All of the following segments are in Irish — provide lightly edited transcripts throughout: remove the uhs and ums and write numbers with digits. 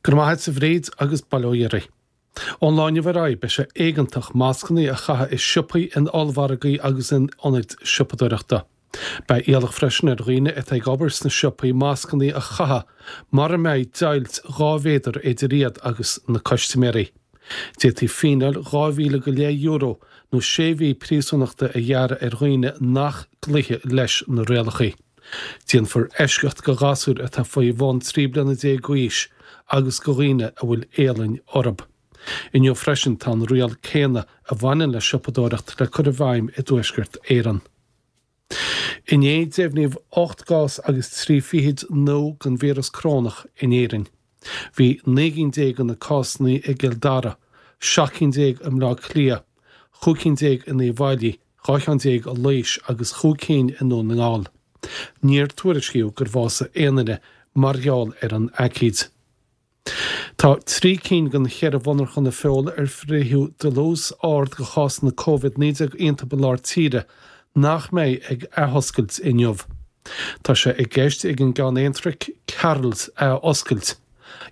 Go raibh maith agat a Bhríd agus bail ó Dhia oraibh. Ón lá inniu ar aghaidh beidh sé éigeantach mascanna a chaitheamh i siopaí, in ollmhargaí agus in ionaid siopadóireachta. Beidh iallach freisin ar dhaoine atá ag obair sna siopaí mascanna a chaitheamh mura mbeidh deighilt 2 mhéadar idir iad agus na custaiméirí. D'fhéadfaí fíneáil €2,000 go leith nó sé mhí príosúnachta a ghearradh ar dhaoine nach gcloífidh leis na rialacha. Déanfar eisceacht go ghasúir atá faoi bhun 13 bliana d'aois agus go dhaoine a bhfuil éalainn orthu. Inniu freisin tá an riail céanna a bhaineann le siopadóireacht le cur i bhfeidhm i dTuaisceart Éireann. Inné deimhníodh 8 gcás agus 3 fichid nua den víreas corónach in Éirinn. Bhí 19 gcinn de na cásanna i gCill Dara, 17 cinn i mBleá Cliath, 15 cinn in Uíbh Fhailí, 12 cheann i Laois agus chúig cinn i nDún na nGall. Níor tuairiscíodh gur bhásaigh aon duine mar gheall ar an aicíd. Tá 3 cinn den cheithre mhonarcha feola ar frítheadh dlús ard de chásanna Covid-19 iontu i lár tíre nach mbeidh ag athoscailt inniu. Tá sé i gceist ag an gceann Aontraic, Carroll's, athoscailt,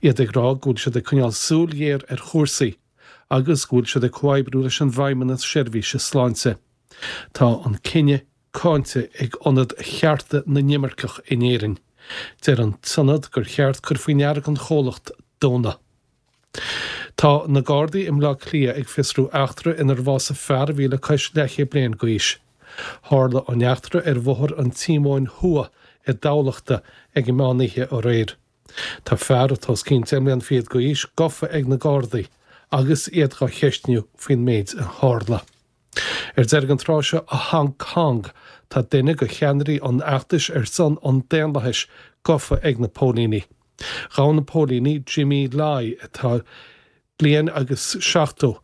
iad ag rá go bhfuil siad ag coinneáil súil ghéar ar chúrsaí agus go bhfuil siad ag comhoibriú leis an bhFeidhmeannas Seirbhíse Sláinte. Tá an cinneadh cáinte ag Ionad Chearta na nImirceach in Éirinn. Deir an t-ionad gur cheart cur faoi ndeara don chomhlacht dúnadh. Tá na Gardaí i mBleá Cliath ag fiosrú eachtra inar bhásaigh fear a bhí le cois leathchéad bliain d'aois. Tharla an eachtra ar Bhóthar an Tíomóin Thuaidh i dTamhlachta ag an meán oíche aréir. Tá fear atá os cionn 10 mbliana fichead d'aois gafa ag na Gardaí agus iad dhá cheistniú faoin méid a tharla. Ar deireadh an tráth seo i Hong Kong, tá duine de cheannairí an fheachtais ar son an daonlathais gafa ag na póilíní. Ghabh na póilíní Jimmy Lai, atá bliain agus 70,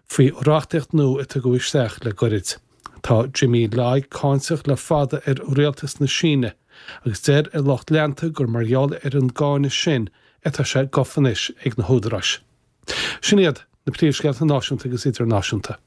faoi reachtaíocht nua a tugadh isteach le goirid. Tá Jimmy Lai cáinteach le fada ar rialtas na Síne agus deir a lucht leanta gur mar gheall ar an gcáineadh sin atá sé gafa anois ag na húdaráis. Sin iad na príomhscéalta náisiúnta agus idirnáisiúnta.